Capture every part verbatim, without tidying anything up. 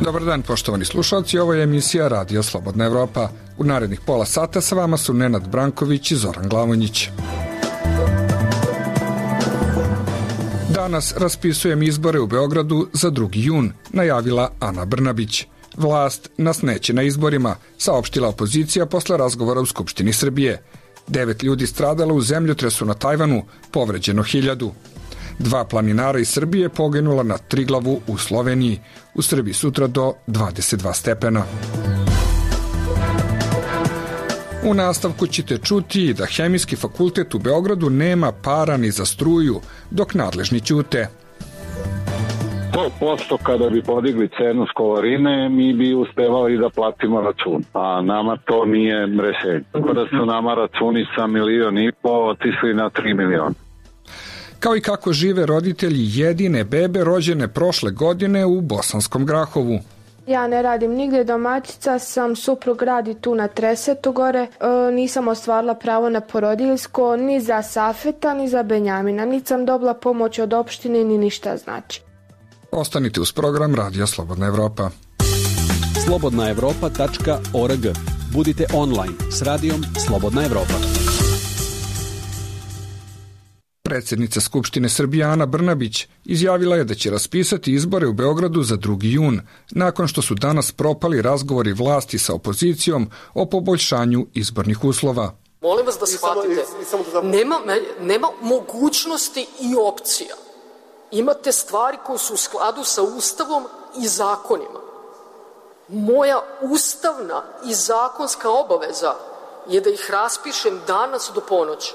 Dobar dan, poštovani slušalci, ovo je emisija Radio Slobodna Evropa. U narednih pola sata sa vama su Nenad Branković i Zoran Glavonjić. Danas raspisujem izbore u Beogradu za drugi jun, najavila Ana Brnabić. Vlast nas neće na izborima, saopštila opozicija posle razgovora u Skupštini Srbije. Devet ljudi stradalo u zemljotresu na Tajvanu, povređeno hiljadu. Dva planinara iz Srbije poginula na Triglavu u Sloveniji. U Srbiji sutra do dvadeset dva stepena. U nastavku ćete čuti da Hemijski fakultet u Beogradu nema para ni za struju, dok nadležni ćute. sto posto kada bi podigli cenu školarine, mi bi uspevali da platimo račun, a nama to nije rešenje. Tako da su nama računi sa milion i po otišli na tri miliona. Kao i kako žive roditelji jedine bebe rođene prošle godine u Bosanskom Grahovu. Ja ne radim nigde, domaćica sam, suprug radi tu na Tresetu gore, e, nisam ostvarila pravo na porodiljsko, ni za Safeta, ni za Benjamina, niti sam dobila pomoć od opštine, ni ništa znači. Ostanite uz program Radio Slobodna Evropa. slobodna evropa tačka org. Budite online s radijom Slobodna Evropa. Predsjednica Skupštine Srbije Ana Brnabić izjavila je da će raspisati izbore u Beogradu za drugi jun, nakon što su danas propali razgovori vlasti sa opozicijom o poboljšanju izbornih uslova. Molim vas da shvatite, nema, nema mogućnosti i opcija. Imate stvari koje su u skladu sa Ustavom i zakonima. Moja ustavna i zakonska obaveza je da ih raspišem danas do ponoći.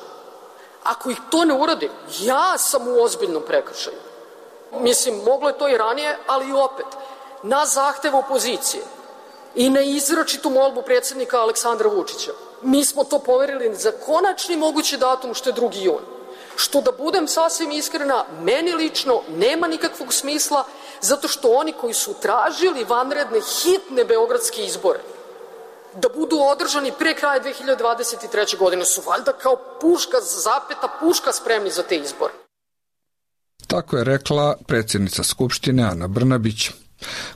Ako ih to ne uradim, ja sam u ozbiljnom prekršaju. Mislim, moglo je to i ranije, ali i opet, na zahtev opozicije i na izračitu molbu predsjednika Aleksandra Vučića, mi smo to poverili za konačni mogući datum, što je drugi jun. Što, da budem sasvim iskrena, meni lično nema nikakvog smisla, zato što oni koji su tražili vanredne, hitne beogradske izbore da budu održani pre kraja dve hiljade dvadeset treće. godine su valjda kao puška, zapeta puška spremni za te izbore. Tako je rekla predsjednica Skupštine Ana Brnabić.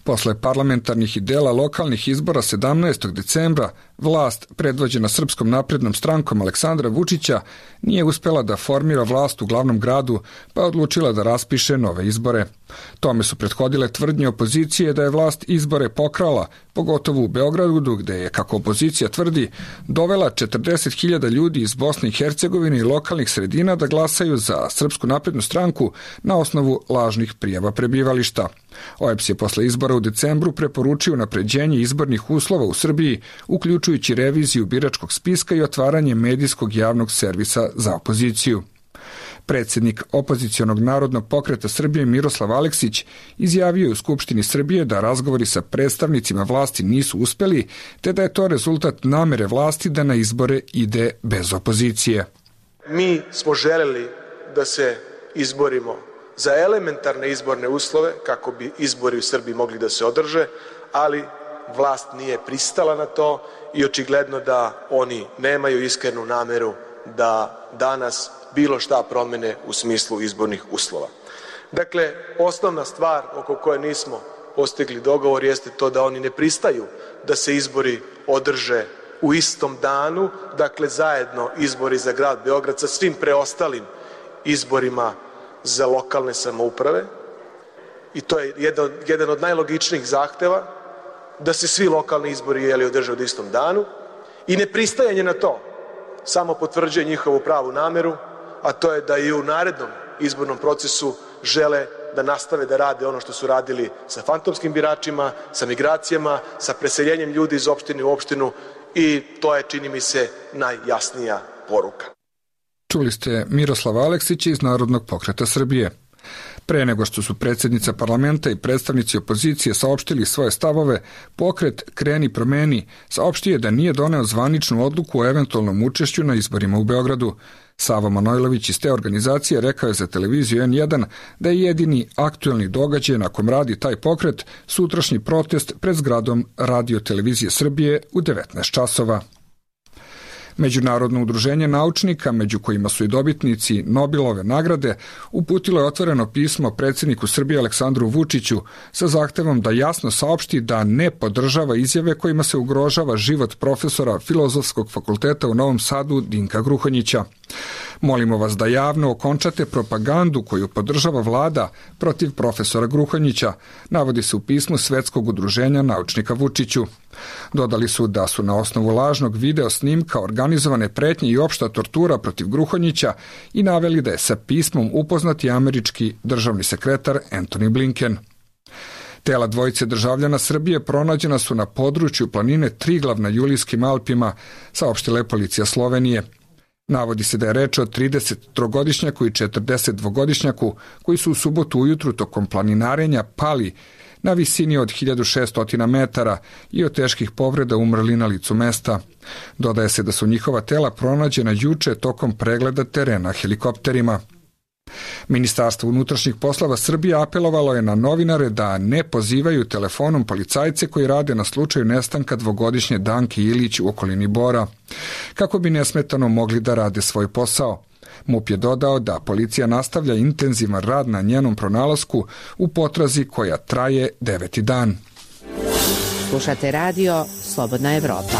Posle parlamentarnih i dela lokalnih izbora sedamnaestog decembra, vlast, predvođena Srpskom naprednom strankom Aleksandra Vučića, nije uspela da formira vlast u glavnom gradu, pa je odlučila da raspiše nove izbore. Tome su prethodile tvrdnje opozicije da je vlast izbore pokrala, pogotovo u Beogradu, gde je, kako opozicija tvrdi, dovela četrdeset hiljada ljudi iz Bosne i Hercegovine i lokalnih sredina da glasaju za Srpsku naprednu stranku na osnovu lažnih prijava prebivališta. O E P S je posle izbora u decembru preporučio unapređenje izbornih uslova u Srbiji, uključujući reviziju biračkog spiska i otvaranje medijskog javnog servisa za opoziciju. Predsjednik opozicionog Narodnog pokreta Srbije Miroslav Aleksić izjavio u Skupštini Srbije da razgovori sa predstavnicima vlasti nisu uspeli, te da je to rezultat namere vlasti da na izbore ide bez opozicije. Mi smo želeli da se izborimo za elementarne izborne uslove kako bi izbori u Srbiji mogli da se održe, ali vlast nije pristala na to i očigledno da oni nemaju iskrenu nameru da danas bilo šta promene u smislu izbornih uslova. Dakle, osnovna stvar oko koje nismo postigli dogovor jeste to da oni ne pristaju da se izbori održe u istom danu, dakle zajedno izbori za grad Beograd sa svim preostalim izborima za lokalne samouprave, i to je jedan, jedan od najlogičnijih zahteva, da se svi lokalni izbori jeli održe u istom danu, i nepristajanje na to samo potvrđuje njihovu pravu nameru, a to je da i u narednom izbornom procesu žele da nastave da rade ono što su radili sa fantomskim biračima, sa migracijama, sa preseljenjem ljudi iz opštine u opštinu, i to je, čini mi se, najjasnija poruka. Čuli ste Miroslava Aleksića iz Narodnog pokreta Srbije. Pre nego što su predsjednica parlamenta i predstavnici opozicije saopštili svoje stavove, pokret Kreni promeni saopštio je da nije doneo zvaničnu odluku o eventualnom učešću na izborima u Beogradu. Savo Manojlović iz te organizacije rekao je za televiziju en jedan da je jedini aktuelni događaj na kom radi taj pokret sutrašnji protest pred zgradom Radio televizije Srbije u devetnaest časova. Međunarodno udruženje naučnika, među kojima su i dobitnici Nobelove nagrade, uputilo je otvoreno pismo predsjedniku Srbije Aleksandru Vučiću sa zahtevom da jasno saopšti da ne podržava izjave kojima se ugrožava život profesora Filozofskog fakulteta u Novom Sadu Dinka Gruhonjića. Molimo vas da javno okončate propagandu koju podržava vlada protiv profesora Gruhonjića, navodi se u pismu Svetskog udruženja naučnika Vučiću. Dodali su da su na osnovu lažnog video snimka organizovane pretnje i opšta tortura protiv Gruhonjića i naveli da je sa pismom upoznat i američki državni sekretar Antony Blinken. Tela dvojice državljana Srbije pronađena su na području planine Triglav na Julijskim Alpima, saopštila je policija Slovenije. Navodi se da je reč o tridesettrogodišnjaku i četrdesetdvogodišnjaku koji su u subotu ujutru tokom planinarenja pali na visini od hiljadu šessto metara i od teških povreda umrli na licu mesta. Dodaje se da su njihova tela pronađena juče tokom pregleda terena helikopterima. Ministarstvo unutrašnjih poslova Srbije apelovalo je na novinare da ne pozivaju telefonom policajce koji rade na slučaju nestanka dvogodišnje Danke Ilić u okolini Bora, kako bi nesmetano mogli da rade svoj posao. MUP je dodao da policija nastavlja intenzivan rad na njenom pronalasku u potrazi koja traje deveti dan. Slušate radio Slobodna Evropa.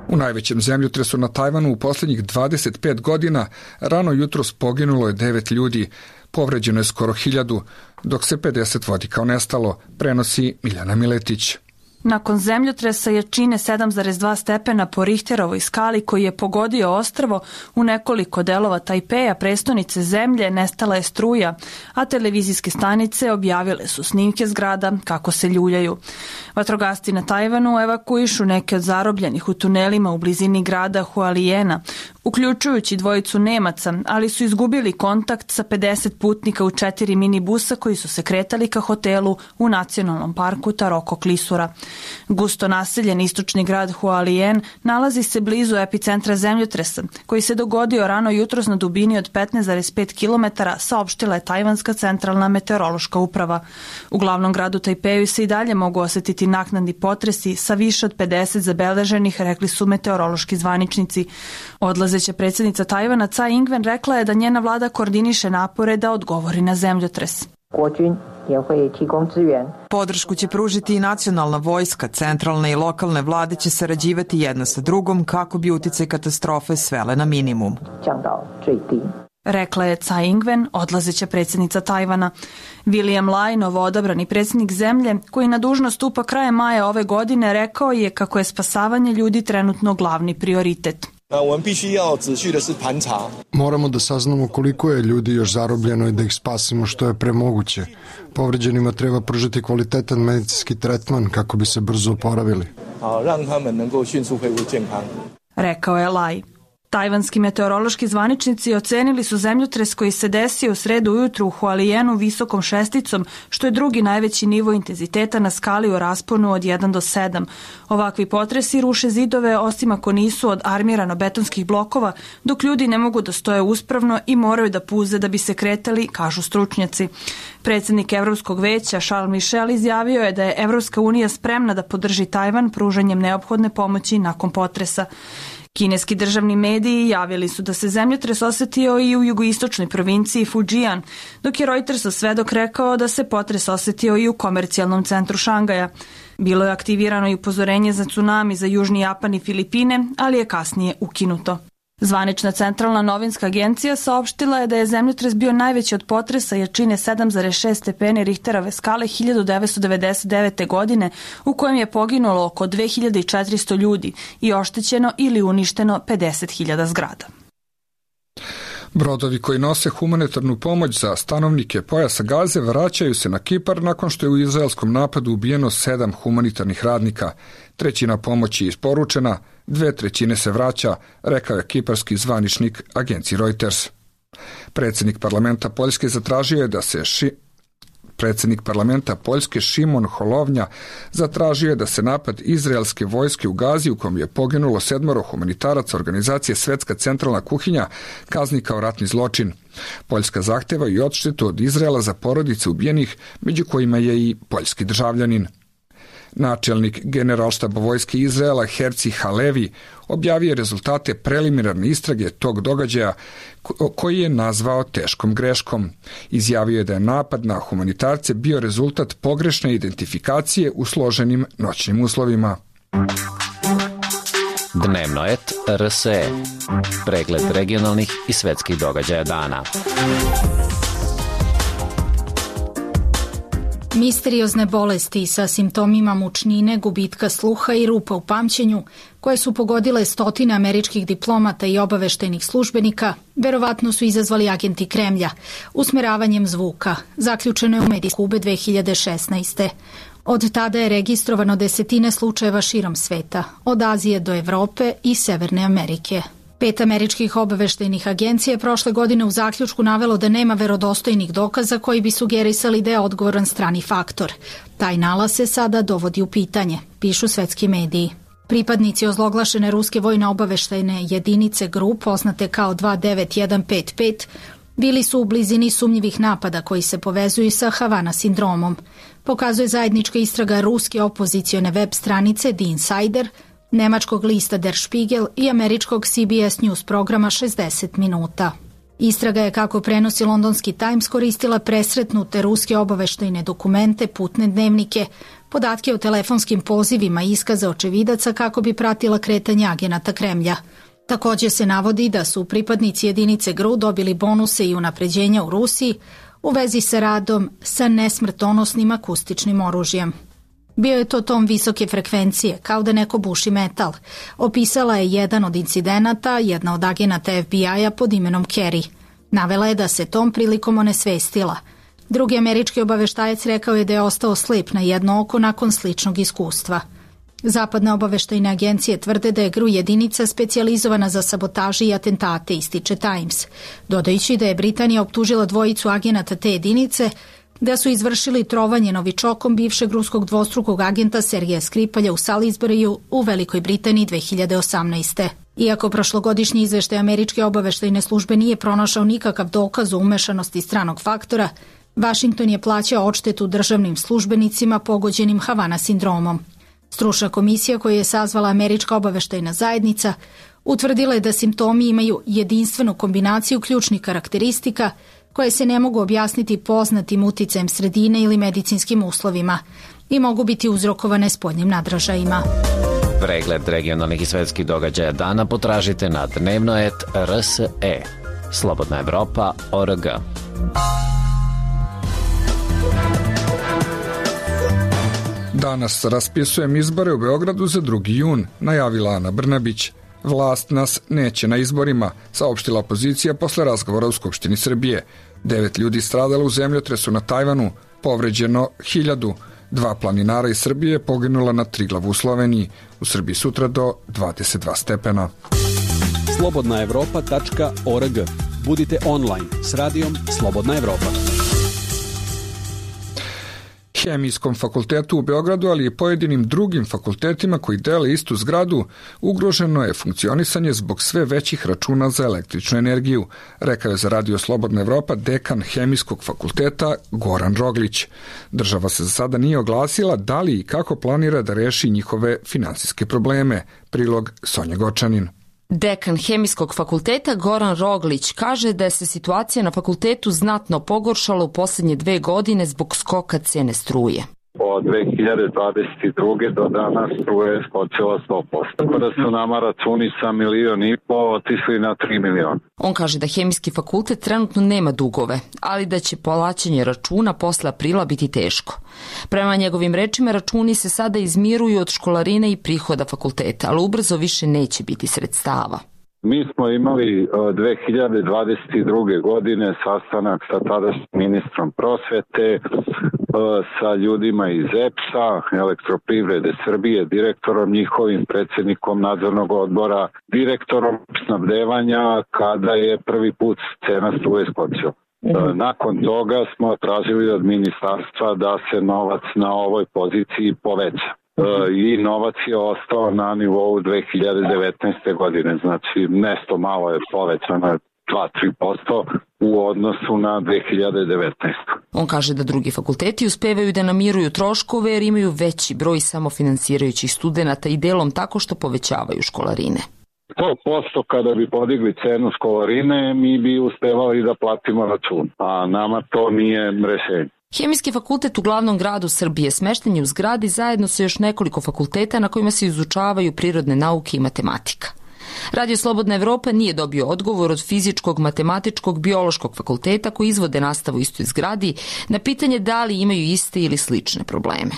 U najvećem zemljotresu na Tajvanu u posljednjih dvadeset pet godina rano jutros poginulo je devet ljudi, povređeno je skoro hiljadu, dok se pedeset vodi kao nestalo, prenosi Miljana Miletić. Nakon zemljotresa jačine sedam zarez dva stepena po Richterovoj skali koji je pogodio ostrvo u nekoliko delova Tajpeja, prestonice zemlje, nestala je struja, a televizijske stanice objavile su snimke zgrada kako se ljuljaju. Vatrogasci na Tajvanu evakuišu neke od zarobljenih u tunelima u blizini grada Hualijena, uključujući dvojicu Nemaca, ali su izgubili kontakt sa pedeset putnika u četiri minibusa koji su se kretali ka hotelu u nacionalnom parku Taroko Klisura. Gusto naseljen istočni grad Hualien nalazi se blizu epicentra zemljotresa, koji se dogodio rano jutros na dubini od petnaest zarez pet kilometara, saopštila je Tajvanska centralna meteorološka uprava. U glavnom gradu Tajpeju se i dalje mogu osetiti naknadni potresi sa više od pedeset zabeleženih, rekli su meteorološki zvaničnici. Odlazeća predsjednica Tajvana Tsai Ing-wen rekla je da njena vlada koordiniše napore da odgovori na zemljotres. Podršku će pružiti i nacionalna vojska, centralne i lokalne vlade će sarađivati jedna sa drugom kako bi uticaj katastrofe svele na minimum. Rekla je Tsai Ing-wen, odlazeća predsjednica Tajvana. William Lai, novoodabrani predsjednik zemlje, koji na dužnost stupa krajem maja ove godine, rekao je kako je spasavanje ljudi trenutno glavni prioritet. Moramo da saznamo koliko je ljudi još zarobljeno i da ih spasimo što je premoguće. Povređenima treba pružiti kvalitetan medicinski tretman kako bi se brzo oporavili. Rekao je Lai. Tajvanski meteorološki zvaničnici ocenili su zemljotres koji se desio u sredu ujutru u Hualijenu visokom šesticom, što je drugi najveći nivo intenziteta na skali u rasponu od jedan do sedam. Ovakvi potresi ruše zidove, osim ako nisu od armirano-betonskih blokova, dok ljudi ne mogu da stoje uspravno i moraju da puze da bi se kretali, kažu stručnjaci. Predsjednik Evropskog veća Charles Michel izjavio je da je Evropska unija spremna da podrži Tajvan pružanjem neophodne pomoći nakon potresa. Kineski državni mediji javili su da se zemljotres osetio i u jugoistočnoj provinciji Fujian, dok je Reutersov svedok rekao da se potres osetio i u komercijalnom centru Šangaja. Bilo je aktivirano i upozorenje za tsunami za Južni Japan i Filipine, ali je kasnije ukinuto. Zvanična centralna novinska agencija saopštila je da je zemljotres bio najveći od potresa jačine sedam zarez šest stepeni Richterove skale hiljadu devetsto devedeset devete. godine, u kojem je poginulo oko dve hiljade četiristo ljudi i oštećeno ili uništeno pedeset hiljada zgrada. Brodovi koji nose humanitarnu pomoć za stanovnike pojasa Gaze vraćaju se na Kipar nakon što je u izraelskom napadu ubijeno sedam humanitarnih radnika. Trećina pomoći je isporučena, dve trećine se vraća, rekao je kiparski zvaničnik agenciji Reuters. Predsjednik parlamenta Poljske zatražio je da se ši... Predsjednik parlamenta Poljske Šimon Holovnja zatražio je da se napad izraelske vojske u Gazi, u kom je poginulo sedmoro humanitaraca organizacije Svetska centralna kuhinja, kazni kao ratni zločin. Poljska zahteva i odštetu od Izraela za porodice ubijenih, među kojima je i poljski državljanin. Načelnik Generalštaba vojske Izraela Herci Halevi objavio je rezultate preliminarne istrage tog događaja koji je nazvao teškom greškom. Izjavio je da je napad na humanitarce bio rezultat pogrešne identifikacije u složenim noćnim uslovima. Dnevnoet R S E. Pregled regionalnih i svetskih događaja dana. Misteriozne bolesti sa simptomima mučnine, gubitka sluha i rupa u pamćenju, koje su pogodile stotine američkih diplomata i obaveštajnih službenika, verovatno su izazvali agenti Kremlja usmeravanjem zvuka, zaključeno je u Mediskube dve hiljade šesnaeste. Od tada je registrovano desetine slučajeva širom sveta, od Azije do Evrope i Severne Amerike. Pet američkih obaveštajnih agencija je prošle godine u zaključku navelo da nema verodostojnih dokaza koji bi sugerisali da je odgovoran strani faktor. Taj nalaz se sada dovodi u pitanje, pišu svetski mediji. Pripadnici ozloglašene ruske vojne obaveštajne jedinice GRU, poznate kao dva devet jedan pet pet, bili su u blizini sumnjivih napada koji se povezuju sa Havana sindromom. Pokazuje zajednička istraga ruske opozicione web stranice The Insider, nemačkog lista Der Spiegel i američkog C B S News programa šezdeset minuta. Istraga je, kako prenosi londonski Times, koristila presretnute ruske obaveštajne dokumente, putne dnevnike, podatke o telefonskim pozivima i iskaze očevidaca kako bi pratila kretanje agenata Kremlja. Također se navodi da su pripadnici jedinice GRU dobili bonuse i unapređenja u Rusiji u vezi sa radom sa nesmrtonosnim akustičnim oružjem. Bio je to tom visoke frekvencije, kao da neko buši metal. Opisala je jedan od incidenata, jedna od agenata F B I-a pod imenom Kerry. Navela je da se tom prilikom onesvestila. Drugi američki obaveštajac rekao je da je ostao slep na jedno oko nakon sličnog iskustva. Zapadne obaveštajne agencije tvrde da je GRU jedinica specijalizovana za sabotaže i atentate, ističe Times, dodajući da je Britanija optužila dvojicu agenata te jedinice da su izvršili trovanje novičokom bivšeg ruskog dvostrukog agenta Sergeja Skripalja u Salisburiju u Velikoj Britaniji dve hiljade osamnaeste. Iako prošlogodišnji izveštaj američke obaveštajne službe nije pronašao nikakav dokaz o umešanosti stranog faktora, Vašington je plaćao odštetu državnim službenicima pogođenim Havana sindromom. Stručna komisija koju je sazvala američka obaveštajna zajednica utvrdila je da simptomi imaju jedinstvenu kombinaciju ključnih karakteristika koje se ne mogu objasniti poznatim uticajem sredine ili medicinskim uslovima i mogu biti uzrokovane spoljnim nadražajima. Pregled regionalnih i svetskih događaja dana potražite na dnevnoet R S E. Slobodna Evropa точка org. Danas raspisujem izbore u Beogradu za drugi jun, najavila Ana Brnabić. Vlast nas neće na izborima, saopštila opozicija posle razgovora u Skupštini Srbije. Devet ljudi stradalo u zemljotresu na Tajvanu, povređeno hiljadu. Dva planinara iz Srbije poginula na Triglavu u Sloveniji. U Srbiji sutra do dvadeset dva stepena. slobodna evropa tačka org. Budite online s radijom Slobodna Evropa. Hemijskom fakultetu u Beogradu, ali i pojedinim drugim fakultetima koji dele istu zgradu, ugroženo je funkcionisanje zbog sve većih računa za električnu energiju, rekao je za Radio Slobodna Evropa dekan Hemijskog fakulteta Goran Roglić. Država se za sada nije oglasila da li i kako planira da reši njihove finansijske probleme. Prilog Sonja Gočanin. Dekan Hemijskog fakulteta Goran Roglić kaže da je se situacija na fakultetu znatno pogoršala u posljednje dve godine zbog skoka cene struje. Od dve hiljade dvadeset druge do danas struje je skočila sto posto. Tako da su nama računi sa milion i po otišli na tri miliona. On kaže da Hemijski fakultet trenutno nema dugove, ali da će plaćanje računa posle aprila biti teško. Prema njegovim rečima, računi se sada izmiruju od školarine i prihoda fakulteta, ali ubrzo više neće biti sredstava. Mi smo imali dve hiljade dvadeset druge godine sastanak sa tadašnjim ministrom prosvete, sa ljudima iz E P S-a, Elektroprivrede Srbije, direktorom njihovim, predsjednikom nadzornog odbora, direktorom snabdevanja, kada je prvi put cena struje skočila. Nakon toga smo tražili od ministarstva da se novac na ovoj poziciji poveća. I novac je ostao na nivou dve hiljade devetnaeste godine, znači nešto malo je povećano, dva do tri posto u odnosu na dve hiljade devetnaestu. On kaže da drugi fakulteti uspevaju da namiruju troškove jer imaju veći broj samofinansirajućih studenata i delom tako što povećavaju školarine. sto posto kada bi podigli cenu školarine, mi bi uspevali da platimo račun, a nama to nije rešenje. Hemijski fakultet u glavnom gradu Srbije smešten je u zgradi zajedno sa još nekoliko fakulteta na kojima se izučavaju prirodne nauke i matematika. Radio Slobodna Evropa nije dobio odgovor od fizičkog, matematičkog, biološkog fakulteta koji izvode nastavu u istoj zgradi na pitanje da li imaju iste ili slične probleme.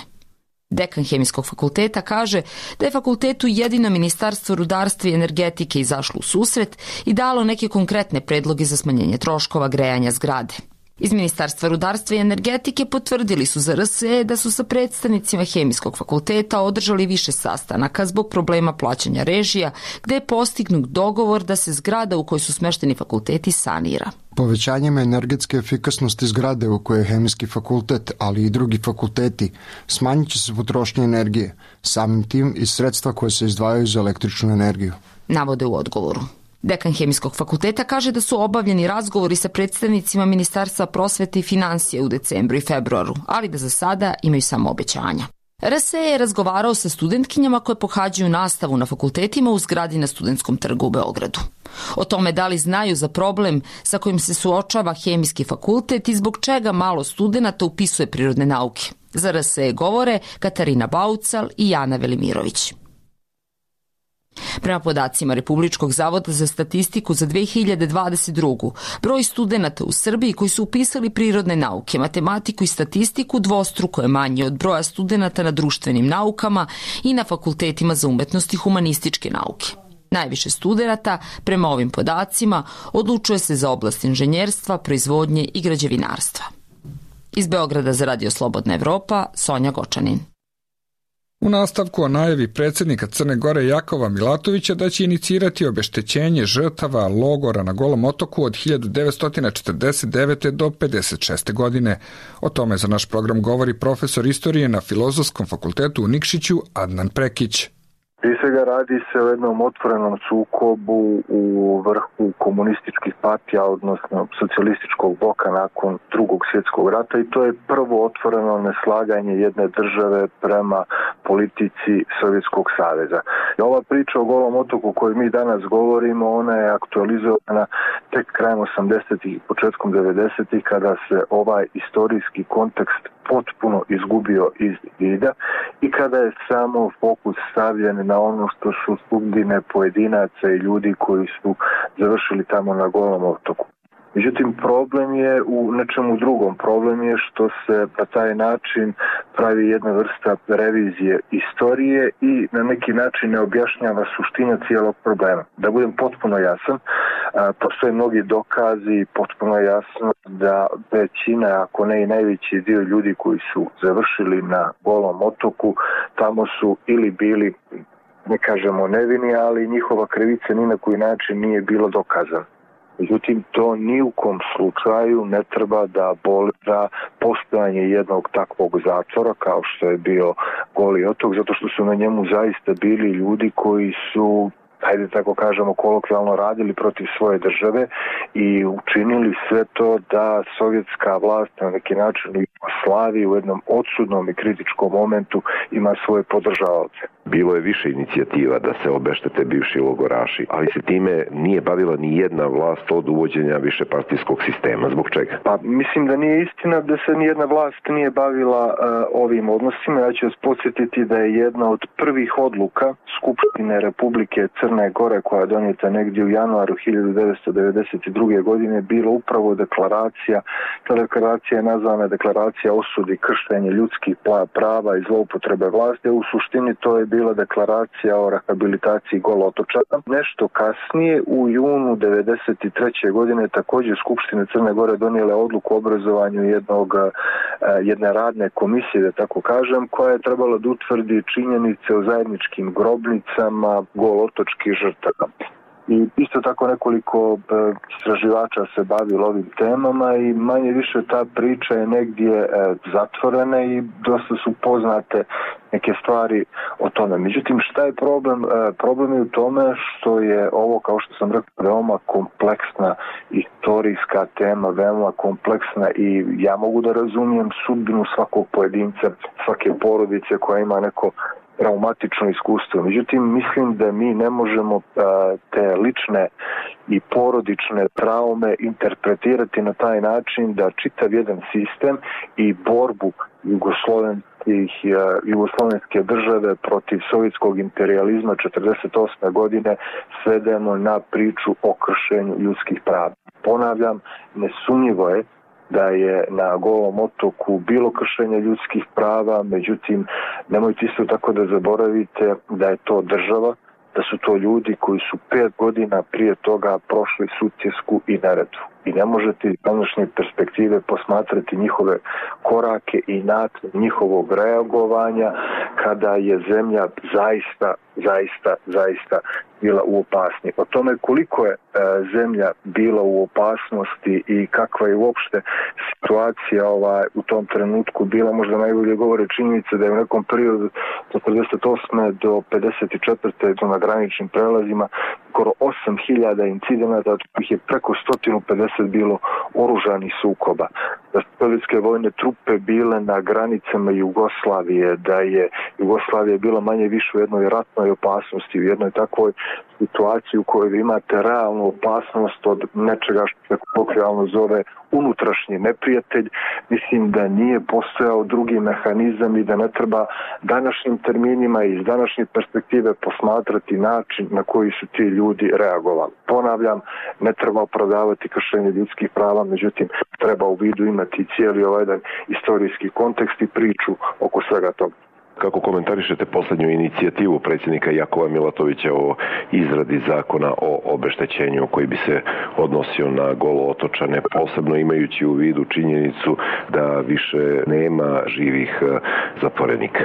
Dekan Hemijskog fakulteta kaže da je fakultetu jedino Ministarstvo rudarstva i energetike izašlo u susret i dalo neke konkretne predloge za smanjenje troškova grejanja zgrade. Iz Ministarstva rudarstva i energetike potvrdili su za R S E da su sa predstavnicima Hemijskog fakulteta održali više sastanaka zbog problema plaćanja režija, gde je postignut dogovor da se zgrada u kojoj su smešteni fakulteti sanira. Povećanjem energetske efikasnosti zgrade u kojoj je Hemijski fakultet, ali i drugi fakulteti, smanjit će se potrošnja energije, samim tim i sredstva koje se izdvajaju za električnu energiju. Navode u odgovoru. Dekan Hemijskog fakulteta kaže da su obavljeni razgovori sa predstavnicima Ministarstva prosvete i finansija u decembru i februaru, ali da za sada imaju samo obećanja. R S E je razgovarao sa studentkinjama koje pohađaju nastavu na fakultetima u zgradi na Studentskom trgu u Beogradu. O tome da li znaju za problem sa kojim se suočava Hemijski fakultet i zbog čega malo studenata upisuje prirodne nauke. Za R S E govore Katarina Baucal i Jana Velimirović. Prema podacima Republičkog zavoda za statistiku za dve hiljade dvadeset drugu. broj studenata u Srbiji koji su upisali prirodne nauke, matematiku i statistiku dvostruko je manji od broja studenata na društvenim naukama i na fakultetima za umetnost i humanističke nauke. Najviše studenata, prema ovim podacima, odlučuje se za oblast inženjerstva, proizvodnje i građevinarstva. Iz Beograda za Radio Slobodna Evropa, Sonja Gočanin. U nastavku o najavi predsjednika Crne Gore Jakova Milatovića da će inicirati obeštećenje žrtava logora na Golom otoku od hiljadu devetsto četrdeset devete. do pedeset šeste. godine. O tome za naš program govori profesor istorije na Filozofskom fakultetu u Nikšiću Adnan Prekić. Prije svega radi se o jednom otvorenom sukobu u vrhu komunističkih partija, odnosno socijalističkog bloka nakon drugog svjetskog rata i to je prvo otvoreno neslaganje jedne države prema politici Sovjetskog saveza. I ova priča o Golom otoku koju mi danas govorimo, ona je aktualizovana tek krajem osamdesetih i početkom devedesetih kada se ovaj istorijski kontekst potpuno izgubio iz vida i kada je samo fokus stavljen na ono što su sudbine pojedinaca i ljudi koji su završili tamo na Golom otoku. Međutim, problem je u nečemu drugom. Problem je što se na taj način pravi jedna vrsta revizije istorije i na neki način ne objašnjava suština cijelog problema. Da budem potpuno jasan, postoje mnogi dokazi, potpuno jasno da većina, ako ne i najveći dio ljudi koji su završili na Golom otoku, tamo su ili bili, ne kažemo nevini, ali njihova krivica ni na koji način nije bilo dokazana. Međutim, to ni u kom slučaju ne treba da abolira postojanje jednog takvog zatvora kao što je bio Goli otok, zato što su na njemu zaista bili ljudi koji su, hajde tako kažemo, kolokvijalno radili protiv svoje države i učinili sve to da sovjetska vlast na neki način u Jugoslaviji u jednom odsudnom i kritičkom momentu ima svoje podržavaoce. Bilo je više inicijativa da se obeštete bivši logoraši, ali se time nije bavila ni jedna vlast od uvođenja višepartijskog sistema. Zbog čega? Pa mislim da nije istina da se nijedna vlast nije bavila uh, ovim odnosima. Ja ću vas podsjetiti da je jedna od prvih odluka Skupštine Republike Crne Gore koja je donijeta negdje u januaru hiljadu devetsto devedeset druge. godine bila upravo deklaracija. Ta deklaracija je nazvana deklaracija osudi kršenja ljudskih prava i zloupotrebe vlasti. U suštini to je bila deklaracija o rehabilitaciji Golotočana. Nešto kasnije, u junu devedeset treće. godine, također Skupština Crne Gore donijela odluku o obrazovanju jednog, jedne radne komisije, da tako kažem, koja je trebala da utvrdi činjenice o zajedničkim grobnicama golotočkih žrtava. I isto tako nekoliko istraživača se bavilo ovim temama i manje više ta priča je negdje zatvorena i dosta su poznate neke stvari o tome. Međutim, šta je problem? Problem je u tome što je ovo, kao što sam rekao, veoma kompleksna istorijska tema, veoma kompleksna i ja mogu da razumijem sudbinu svakog pojedinca, svake porodice koja ima neko traumatično iskustvo. Međutim, mislim da mi ne možemo te lične i porodične traume interpretirati na taj način da čitav jedan sistem i borbu jugoslovenskih, jugoslovenske države protiv sovjetskog imperializma četrdeset osme godine svedemo na priču o kršenju ljudskih prava. Ponavljam, nesumnjivo je da je na Golom otoku bilo kršenje ljudskih prava, međutim, nemojte isto tako da zaboravite da je to država, da su to ljudi koji su pet godina prije toga prošli Sutjesku i Neretvu. I ne možete iz današnje perspektive posmatrati njihove korake i način njihovog reagovanja kada je zemlja zaista, zaista, zaista bila u opasnosti. O tome koliko je e, zemlja bila u opasnosti i kakva je uopšte situacija ovaj, u tom trenutku bila, možda najbolje govore činjenica da je u nekom periodu četrdeset osme do pedeset četvrte na graničnim prelazima skoro osam hiljada incidenata, od kojih je preko sto pedeset bilo oružanih sukoba. Da su sovjetske vojne trupe bile na granicama Jugoslavije, da je Jugoslavija bila manje više u jednoj ratnoj opasnosti, u jednoj takvoj situaciji u kojoj vi imate realnu opasnost od nečega što se kolokvijalno zove unutrašnji neprijatelj. Mislim da nije postojao drugi mehanizam i da ne treba današnjim terminima i iz današnje perspektive posmatrati način na koji su ti ljudi reagovali. Ponavljam, ne treba opravdavati kršenje ljudskih prava, međutim treba u vidu imati cijeli ovaj jedan istorijski kontekst i priču oko svega toga. Kako komentarišete poslednju inicijativu predsjednika Jakova Milatovića o izradi zakona o obeštećenju koji bi se odnosio na Golootočane, posebno imajući u vidu činjenicu da više nema živih zatvorenika?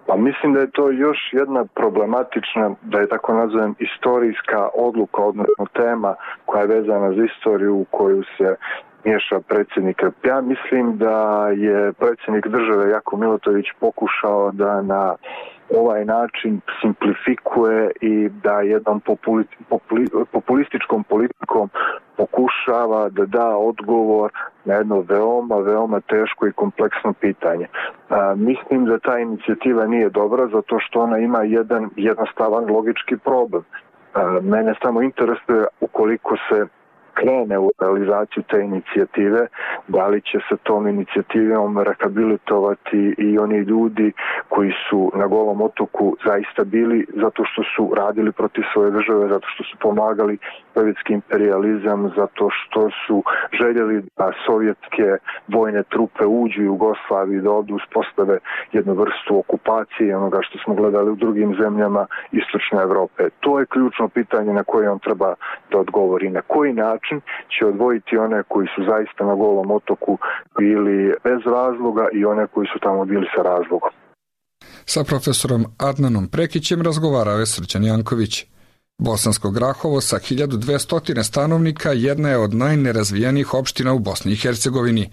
Pa mislim da je to još jedna problematična, da je tako nazovem, istorijska odluka, odnosno tema koja je vezana za istoriju u koju se miješa predsjednik. Ja mislim da je predsjednik države Jakov Milatović pokušao da na ovaj način simplifikuje i da jednom populi, populi, populističkom politikom pokušava da da odgovor na jedno veoma, veoma teško i kompleksno pitanje. A, mislim da ta inicijativa nije dobra zato što ona ima jedan jednostavan logički problem. A, mene samo interesuje ukoliko se krene u realizaciju te inicijative, da li će se tom inicijativom rehabilitovati i oni ljudi koji su na Golom otoku zaista bili zato što su radili protiv svoje države, zato što su pomagali sovjetski imperializam, zato što su željeli da sovjetske vojne trupe uđu u Jugoslaviju, da ovdje uspostave jednu vrstu okupacije, onoga što smo gledali u drugim zemljama istočne Evrope. To je ključno pitanje na koje on treba da odgovori. Na koji način će odvojiti one koji su zaista na Golom otoku bili bez razloga i one koji su tamo bili sa razlogom. Sa profesorom Adnanom Prekićem razgovarao je Srđan Janković. Bosansko Grahovo sa hiljadu dvesta stanovnika jedna je od najnerazvijenijih opština u Bosni i Hercegovini.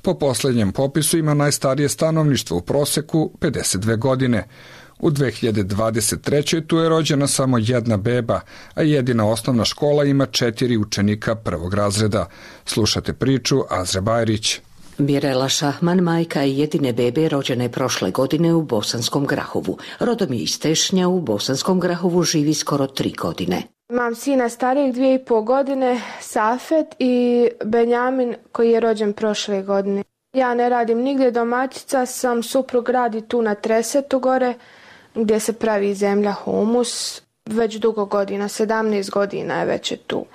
Po posljednjem popisu ima najstarije stanovništvo u proseku pedeset dve godine. U dve hiljade dvadeset trećoj tu je rođena samo jedna beba, a jedina osnovna škola ima četiri učenika prvog razreda. Slušate priču Azra Bajrić. Mirela Šahman, majka jedine bebe, rođena je prošle godine u Bosanskom Grahovu. Rodom je iz Tešnja, u Bosanskom Grahovu živi skoro tri godine. Imam sina starijeg dvije i pol godine, Safet, i Benjamin koji je rođen prošle godine. Ja ne radim nigdje, domaćica sam, suprug radi tu na Tresetu gore, gdje se pravi zemlja humus, već dugo godina, sedamnaest godina je već je tu.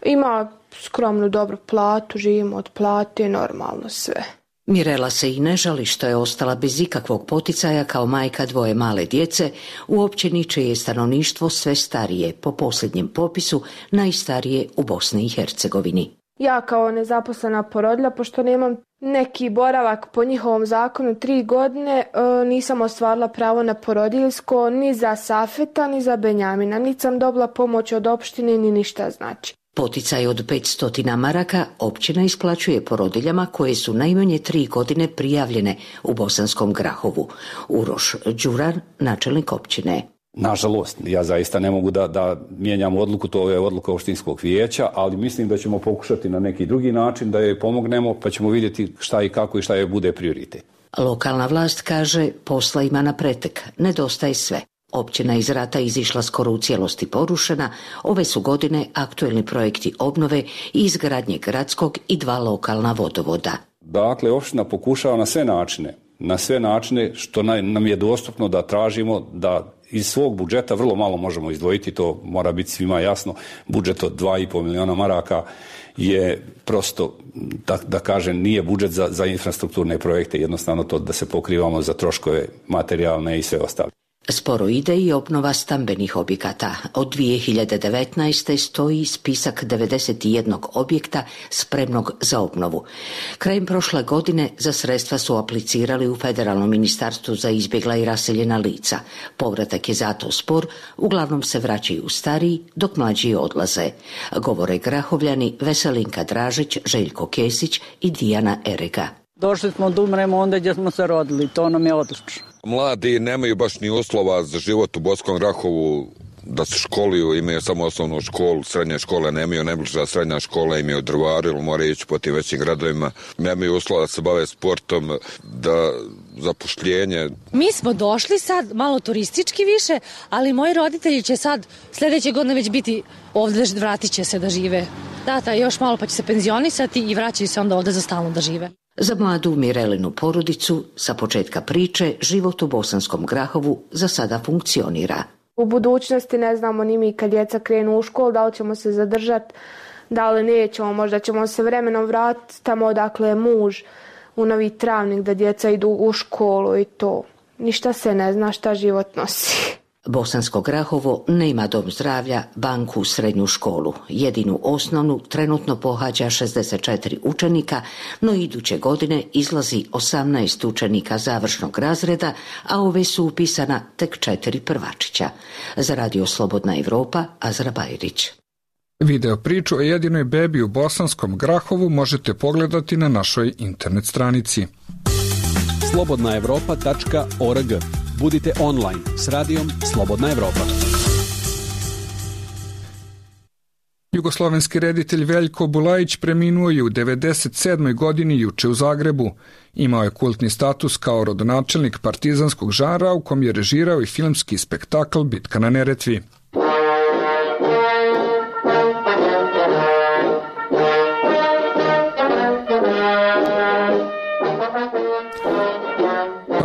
Ima skromnu dobru platu, živimo od plate, normalno sve. Mirela se i ne žali što je ostala bez ikakvog poticaja kao majka dvoje male djece u općini čije je stanovništvo sve starije, po posljednjem popisu najstarije u Bosni i Hercegovini. Ja kao nezaposlena porodilja, pošto nemam neki boravak po njihovom zakonu tri godine, nisam ostvarila pravo na porodiljsko ni za Safeta, ni za Benjamina. Niti sam dobila pomoć od opštine, ni ništa znači. Poticaj od petsto maraka općina isplaćuje porodiljama koje su najmanje tri godine prijavljene u Bosanskom Grahovu. Uroš Đuran, načelnik općine. Nažalost, ja zaista ne mogu da, da mijenjam odluku, to je odluka opštinskog vijeća, ali mislim da ćemo pokušati na neki drugi način da joj pomognemo, pa ćemo vidjeti šta i kako i šta je bude prioritet. Lokalna vlast kaže posla ima na pretek, nedostaje sve. Općina iz rata izišla skoro u cijelosti porušena, ove su godine aktuelni projekti obnove i izgradnje gradskog i dva lokalna vodovoda. Dakle, opština pokušava na sve načine, na sve načine što nam je dostupno da tražimo da iz svog budžeta vrlo malo možemo izdvojiti, to mora biti svima jasno. Budžet od dva i pol miliona maraka je prosto, da, da kažem, nije budžet za, za infrastrukturne projekte, jednostavno to da se pokrivamo za troškove materijalne i sve ostale. Sporo ide i obnova stambenih objekata. Od dvije hiljade devetnaeste. stoji spisak devedeset jednog objekta spremnog za obnovu. Krajem prošle godine za sredstva su aplicirali u Federalnom ministarstvu za izbjegla i raseljena lica. Povratak je zato spor, uglavnom se vraćaju stariji, dok mlađi odlaze. Govore Grahovljani Veselinka Dražić, Željko Kesić i Dijana Erega. Došli smo da umremo onda gdje smo se rodili, to nam je odlično. Mladi nemaju baš ni uslova za život u Bosanskom Grahovu, da se školuju, imaju samo osnovnu školu, srednje škole nemaju, najbliža srednja škola imaju u Drvaru ili moraju ići po tim većim gradovima, nemaju uslova da se bave sportom, da zapošljenje. Mi smo došli sad malo turistički više, ali moji roditelji će sad sljedeće godine već biti ovdje, vratit će se da žive. Tata još malo pa će se penzionisati i vraćaju se onda ovdje za stalno da žive. Za mladu Mirelinu porodicu, sa početka priče, život u Bosanskom Grahovu za sada funkcionira. U budućnosti ne znamo ni mi kad djeca krenu u školu, da li ćemo se zadržati, da li nećemo, možda ćemo se vremenom vratiti tamo odakle je muž, u Novi Travnik, da djeca idu u školu i to. Ništa se ne zna šta život nosi. Bosansko Grahovo nema dom zdravlja, banku, srednju školu. Jedinu osnovnu trenutno pohađa šezdeset četiri učenika, no iduće godine izlazi osamnaest učenika završnog razreda, a ove su upisana tek četiri prvačića. Za Radio Slobodna Evropa, Azra Bajrić. Video priču o jedinoj bebi u Bosanskom Grahovu možete pogledati na našoj internet stranici. slobodna evropa tačka org. Budite online s radijom Slobodna Evropa. Jugoslovenski reditelj Veljko Bulajić preminuo je u devedeset sedmoj godini juče u Zagrebu. Imao je kultni status kao rodonačelnik partizanskog žanra u kom je režirao i filmski spektakl Bitka na Neretvi.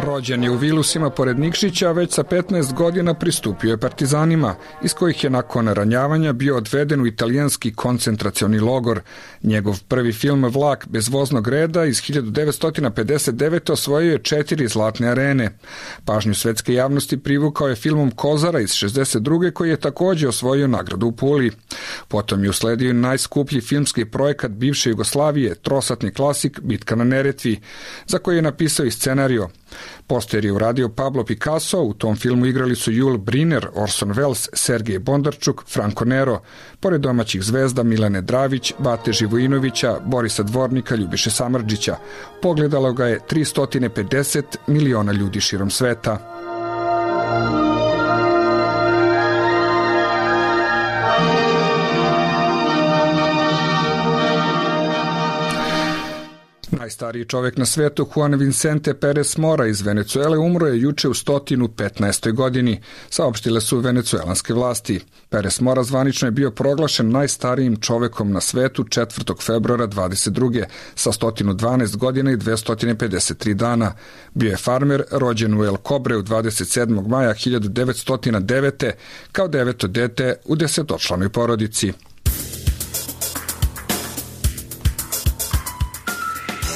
Rođen je u Vilusima pored Nikšića, a već sa petnaest godina pristupio je partizanima, iz kojih je nakon ranjavanja bio odveden u italijanski koncentracioni logor. Njegov prvi film Vlak bez voznog reda iz hiljadu devetsto pedeset devete. osvojio je četiri zlatne arene. Pažnju svetske javnosti privukao je filmom Kozara iz šezdeset druge. koji je također osvojio nagradu u Puli. Potom je usledio najskuplji filmski projekat bivše Jugoslavije, trosatni klasik Bitka na Neretvi, za koji je napisao i scenario. Poster je uradio Pablo Picasso, u tom filmu igrali su Jul Briner, Orson Welles, Sergej Bondarčuk, Franco Nero, pored domaćih zvezda Milane Dravić, Bate Živojinovića, Borisa Dvornika, Ljubiše Samardžića. Pogledalo ga je tristo pedeset miliona ljudi širom sveta. Najstariji čovjek na svijetu, Juan Vicente Perez Mora iz Venecuele, umro je juče u sto petnaestoj godini, saopštile su venecuelanske vlasti. Perez Mora zvanično je bio proglašen najstarijim čovjekom na svijetu četvrtog februara dvadeset druge sa sto dvanaest godina i dvesta pedeset tri dana. Bio je farmer, rođen u El Cobre dvadeset sedmog maja hiljadu devetsto devete. kao deveto dete u desetočlanoj porodici.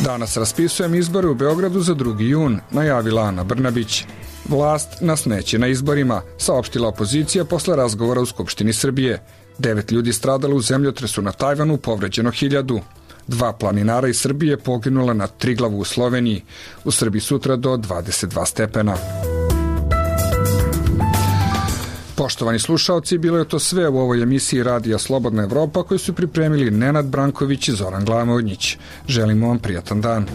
Danas raspisujem izbore u Beogradu za drugi jun, najavila Ana Brnabić. Vlast nas neće na izborima, saopštila opozicija posle razgovora u Skupštini Srbije. Devet ljudi stradalo u zemljotresu na Tajvanu, povređeno hiljadu. Dva planinara iz Srbije poginula na Triglavu u Sloveniji. U Srbiji sutra do dvadeset dva stepena. Poštovani slušaoci, bilo je to sve u ovoj emisiji Radija Slobodna Evropa koju su pripremili Nenad Branković i Zoran Glamovodnjić. Želimo vam prijatan dan.